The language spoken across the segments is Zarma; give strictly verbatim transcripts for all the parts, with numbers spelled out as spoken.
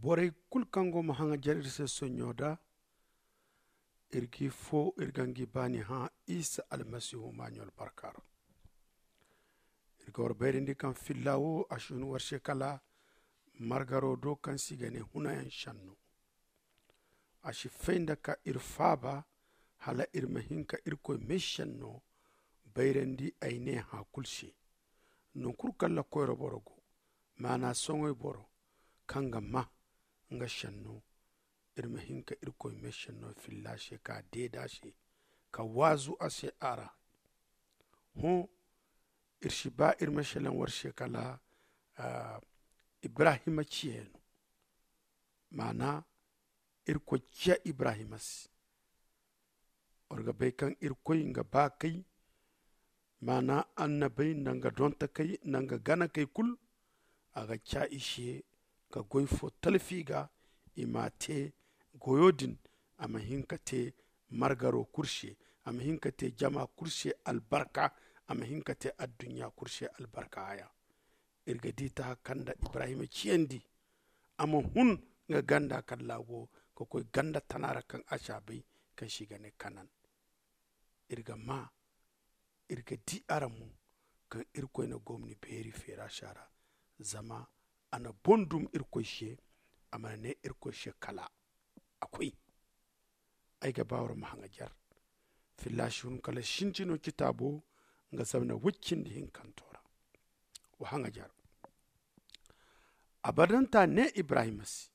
Borey kulu kaŋ go ma haŋajer iri se sonɲo da, iri g'i fo iri ga ngi baani hã isa almasihu maaɲo albarka ra. Iri ga war bayrandi kaŋ filla wo a si hun war se kala margaro do kaŋ se i ga ne hunayaŋ senno. A si fay nda ka iri faaba hala iri ma hin ka irkoy meesenno bayrandi ay ne hã kulu se. Nangu kulu kaŋ ra koyra boro go, maana soŋay boro kaŋ ga maa nga senno, iri ma hin ka irkoy meesenno filla se ka deeda se, ka waazu a se a ra. Hõ, iri si ba iri ma selaŋ war se kala ibrahima ciya no. Maana irkoy ciya ibrahima se. War ga bay kaŋ irkoy nga baakey, maana annabey nda nga dontakey nda nga ganakey kulu, a ga ca i se ka goy fo talfi ga, i m'a te goyo din. A ma hin ka te margaro kulu se, a ma hin ka te jama kulu se albarka, a ma hin ka te adduɲɲa kulu se albarka haya. Iri ga di taha kaŋ nda ibrahima ciyandi, a ma hun nga ganda kaŋ ra a go ka koy ganda tana ra kaŋ a si a bay, kaŋ se i ga ne kanan. Iri ga maa, iri ga di araŋ mo kaŋ irkoy na gomni beeri feera si a ra. Zama a na boŋ dum irkoy se, a mana ne irkoy se kala a koy. Ay ga ba war ma haŋajer filla si hun kala sintino kitaabo nga zamna woy cindi hinkanto ra. Wa haŋajer. Abadanta ne ibrahima se,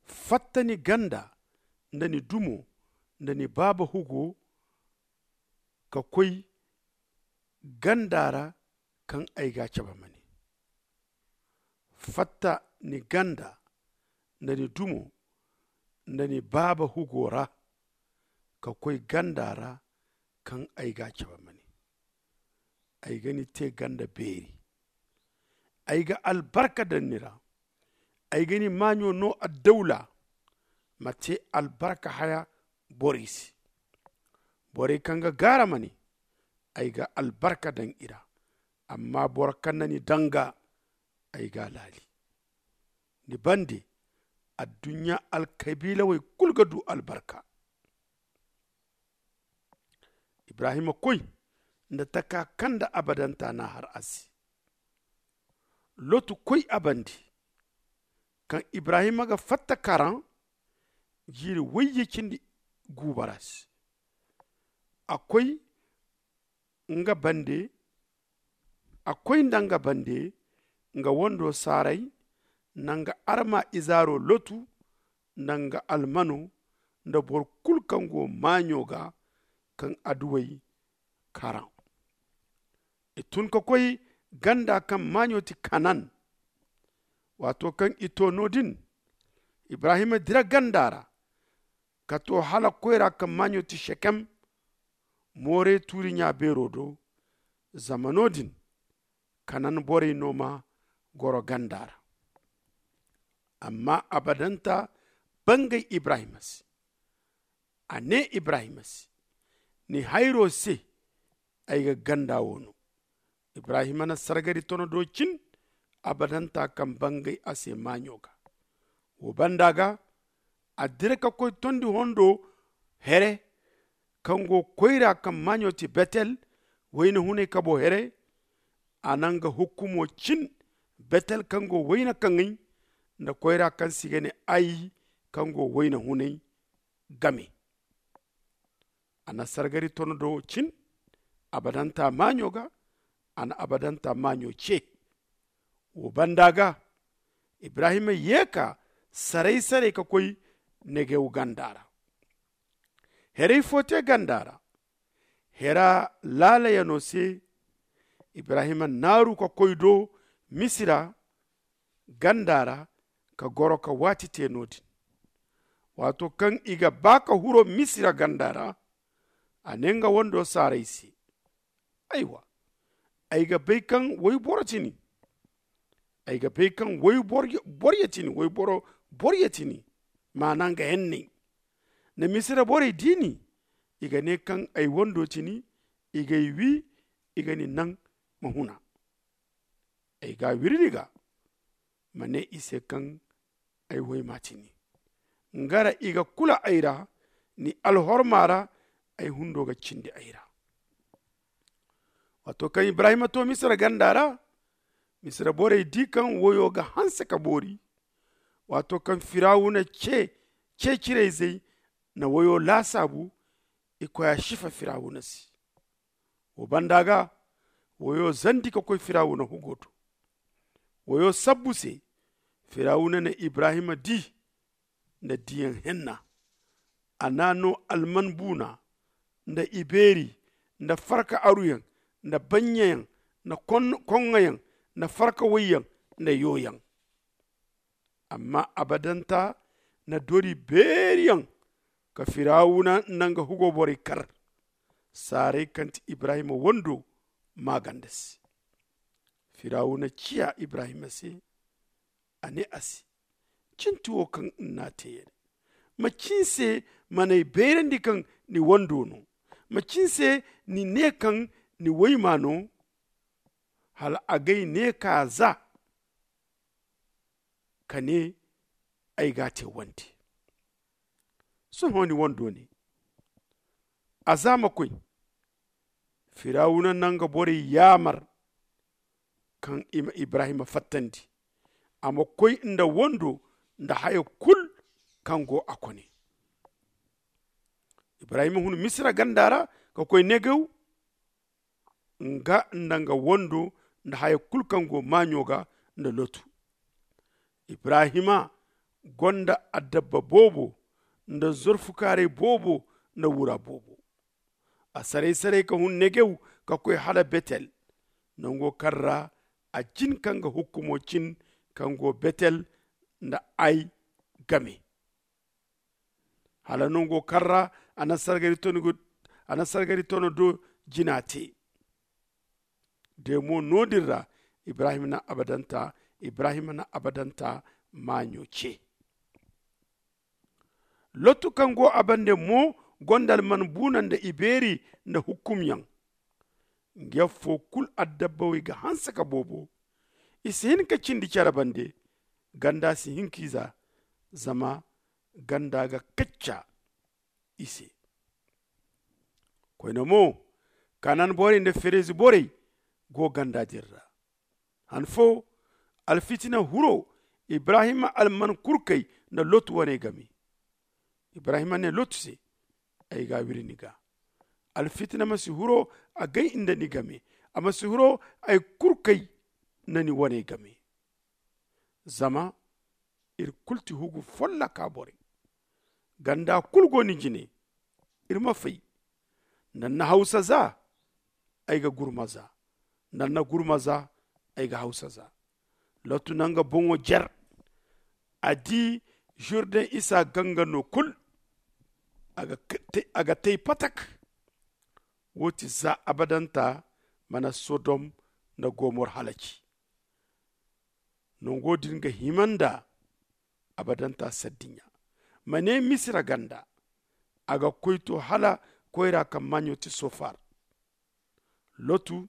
fatta ni ganda nda ni dumo nda ni baaba hugo ka koy ganda ra kaŋ ay ga a cabe ma ne. Fatta ni ganda nda ni dumo nda ni baaba hugo ra ka koy ganda ra kaŋ ay ga a cabe ma ne. Ay ga ni te ganda beeri. Ay ga albarka daŋ ni ra. Ay ga ni maaɲo no addawla ma te albarka haya borey se. Borey kaŋ ga gaara ma ne, ay ga albarka daŋ i ra. Amma boro kaŋ na ni danga, ay ga a laali. Ni bande adduɲɲa alkabiilawey kulu ga du albarka. Ibrahima koy nda taka kaŋ nda abadanta n'a har a se. Lotu koy a bande. Kaŋ ibrahima ga fatta karan jiiri wayye cindi guuba ra se. A koy nga bande a koy nda nga bande nga wando saaray, nda nga arma izaaro lotu, nda nga almano, nda boro kulu kaŋ go maaɲo ga kaŋ adduwey karan. I tun ka koy ganda kaŋ maaɲo ti kanan. Waato kaŋ i to no- din, ibrahima dira ganda ra ka to hala koyra kaŋ maaɲo ti sekem, moorey tuuri ɲa beero do. Zama no- din kanan borey no ma goro ganda ra. Amma abadanta bangay ibrahima se. A ne ibrahima se, ni hayro se ay ga ganda wo no. Ibrahima na sargari tono do cin abadanta kaŋ bangay a se maaɲo ga. Wo banda ga a dira ka koy tondi hondo here kaŋ go koyra kaŋ maaɲo ti betel, wayna hunay kabo here. A na nga hukkumo cin betel kaŋ go wayna kaŋay nda koyra kaŋ se i ga ne ay kaŋ go wayna hunay game. A na sargari tono do cin abadanta maaɲo ga. A na abadanta maaɲo ce. Wo banda ga ibrahima ye ka saray saray ka koy negew ganda ra. Heray fo te ganda ra. Hera laalayano se ibrahima naaru ka koy do misira ganda ra ka goro ka waati te no- din. Waato kaŋ i ga ba ka huro misira ganda ra, a ne nga wando saaray se, aywa, ay ga bay kaŋ wayboro ti ni. Ay ga bay kaŋ wayboro ti ni wayboro boro ya ti ni. Maana nga henney na misira borey di ni, i ga ne kaŋ ay wando ti ni. I g'ay wi, i ga ni naŋ ma huna. Ay ga a wiri ni ga ma ne i se kaŋ ay woyma ti ni. Nga ra i ga kula ay ra, ni alhorma ra ay hundo ga cindi ay ra. Waato kaŋ ibrahima to misira ganda ra, misira borey di kaŋ woyo ga hanse ka boori. Waato kaŋ firawuna ce cecirayzey na woyo laasaabu, i koy a sifa firawuna se. Wo banda ga woyo zandi ka koy firawuna hugo do. Woyo sabbu se firawuna na ibrahima di nda diyaŋ henna. A na no alman buuna nda ibeeri nda farka aruyaŋ nda bannyayaŋ nda koŋŋayaŋ nda farka wayyaŋ nda yooyaŋ. Amma abadanta na dori beeriyaŋ ka firawuna nda nga hugo borey kar. Saaray kaŋ ti ibrahima wando maaganda se. Firawuna ciya ibrahima se, a ne a se, cinti wo kaŋ ni n'a te ya-din? Macin se man'ay bayrandi kaŋ ni wando no? Macin se ni ne kaŋ ni wayma no? Hala agay ne ka za ka ne ay g'a te wande. Sohõ ni wando ne. A za ma koy. Firawuna na nga borey yaamar kaŋ i ma ibrahima fattandi a ma koy nda wando nda haya kulu kaŋ go a kone. Ibrahima hun misira ganda ra ka koy negew, nga nda nga wando nda haya kulu kaŋ go maaɲo ga nda lotu. Ibrahima gonda addabba boobo nda zorfukaaray boobo nda wura boobo. A saray-saray ka hun negew ka koy hala betel, nango kaŋ ra a jin ka nga hukkumo cin kaŋ go betel nda ay game. Hala nango kaŋ ra a na sargari tono do jina te. De mo no- din ra ibrahima na abadanta ibrahima na abadanta maaɲo ce. Lottu kaŋ go a bande mo gonda alman buuna nda ibeeri nda hukkumyaŋ. Nga yaŋ fo kulu addabbawey ga hanse ka boobo. I si hin ka cindi care bande. Ganda si hin k'i za. Zama ganda ga kacca i se. Koyne mo, kanan borey nda ferezi borey go ganda din ra. Han fo, alfitina huro ibrahima alman kurkey nda lotu wane game. Ibrahima ne lotu se, ay ga wiri ni ga. Alfitina ma si huro agay nda ni game. A ma si huro ay kurkey nda ni wane game. Zama iri kulu ti hugu follaka borey. Ganda kulu go ni jine. Iri ma fay. Nda ni na hawsa za, ay ga gurma za. Nda ni na gurma za, ay ga hawsa za. Lottu na nga boŋo jer. A di jurden isa ganga no kulu. A ga tay patak. Wo ti za abadanta mana sodom nda gomor halaci. Nango din ga hima nda abadanta saddiɲa. Ma ne misira ganda. A ga koy to hala koyra kaŋ maaɲo ti sofar. Lotu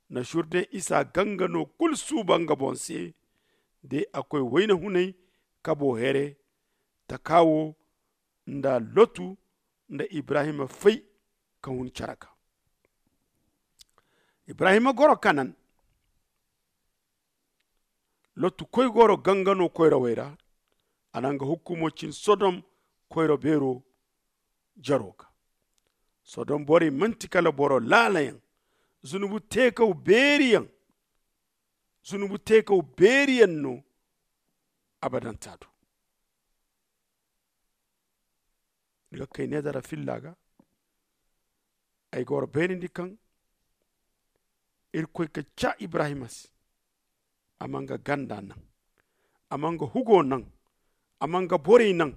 na surde isa ganga no kulu suuba nga boŋ se. De a koy wayna hunay kabo here. Taka wo nda lotu nda ibrahima fay ka hun care ga. Ibrahima goro kanan. Lottu koy goro gangano koyrawey ra. A na nga hukkumo cin sodom koyra beero jaro ga. Sodom borey manti kala boro laalayaŋ. Zunubu teekaw beeriyaŋ. Zunubu teekaw beeriyaŋ no. Abadanta do. Ni ga kay ne dara filla ga. Ay ga war bayrandi kaŋ irkoy ka ca ibrahima se. A ma nga ganda naŋ. A ma nga hugo naŋ. A ma nga borey naŋ.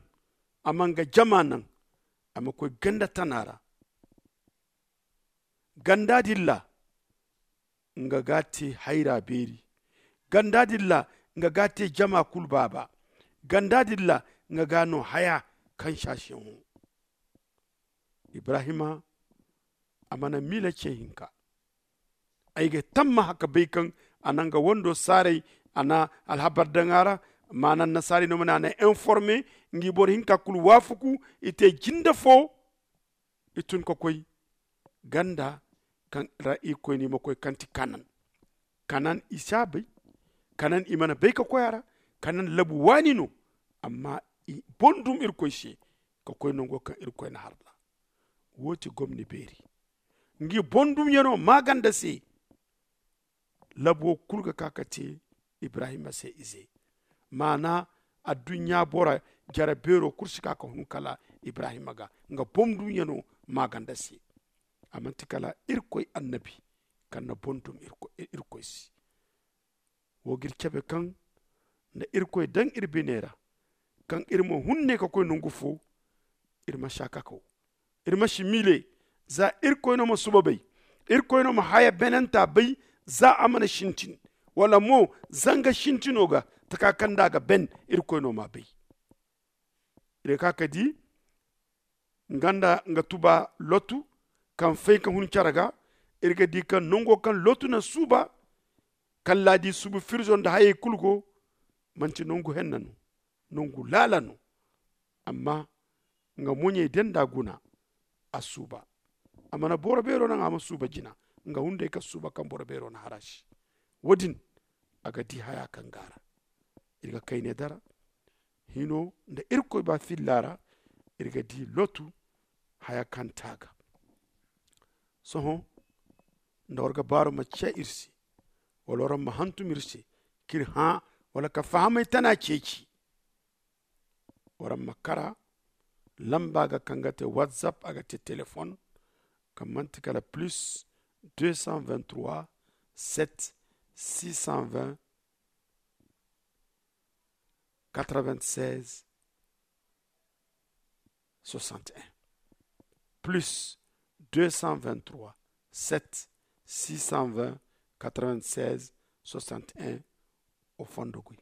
A ma nga jama naŋ. A ma koy ganda tana ra. Ganda dilla nga ga te hayra beeri. Ganda dilla nga ga te jama kulu baaba. Ganda dilla nga ga no haya kaŋ sasiyaŋo. Ibrahima a mana miila ce hinka. Ay ga tamma haka bay kaŋ a na nga wando saaray. A na alhabar daŋ a ra. Maana annasaari no ma ne a na informe. Ngi boro hinka kulu waafaku i te jinde fo. I tun ka koy ganda kaŋ ra irkoy no i ma koy kaŋ ti kanan. Kanan i si a bay. Kanan i mana bay ka koy a ra. Kanan labu waani no. Amma i bondum irkoy se ka koy nango kaŋ irkoy na har ra. Wo ti gomni beeri. Ngi bondum yano maaganda se. Labo kulu ga ka ka te ibrahima se ize. Maana adduɲɲa bora jare beero kulu si ka ka hun kala ibrahima ga nga bondum yano maaganda se. A manti kala irkoy annabi kaŋ na bondum irkoy se. Wo ga iri cabe kaŋ nda irkoy daŋ iri bine ra kaŋ iri ma hun ne ka koy nangu fo. Iri ma si a kakaw. Iri ma si miile za irkoy no ma suba bay. Irkoy no ma haya benanta bay za a mana sintin wala mo zanga sintino ga taka kaŋ nda a ga ben. Irkoy no ma bay. Iri ga ka ka di nga nda nga tuba lotu kaŋ fay ka hun care ga. Iri ga di kaŋ nango kaŋ lotu na suuba kalla di suubu firzo nda hayey kulu go. Manti nangu henna no. Nangu laala no. Amma nga moɲey denda guna a suuba. A mana boro beero naŋ a ma suuba jina nga hunday ka suuba kaŋ boro beero na har a se. Wo- din a ga di haya kaŋ ga a ra. Iri ga kayne dara hino nda irkoy ba filla ra. Iri ga di lotu haya kaŋ te a ga. Sohõ nda war ga baaru ma ciya iri se wala war ma hantum iri se ka iri hã wala ka fahamay tana ceeci. War ma kara lamba ga kaŋ ga te whatsapp a ga te telefon kaŋ manti kala plus deux cent vingt-trois sept six cent vingt quatre-vingt-seize soixante et un. Plus deux cent vingt-trois sept six cent vingt quatre-vingt-seize soixante et un. O fondo goy.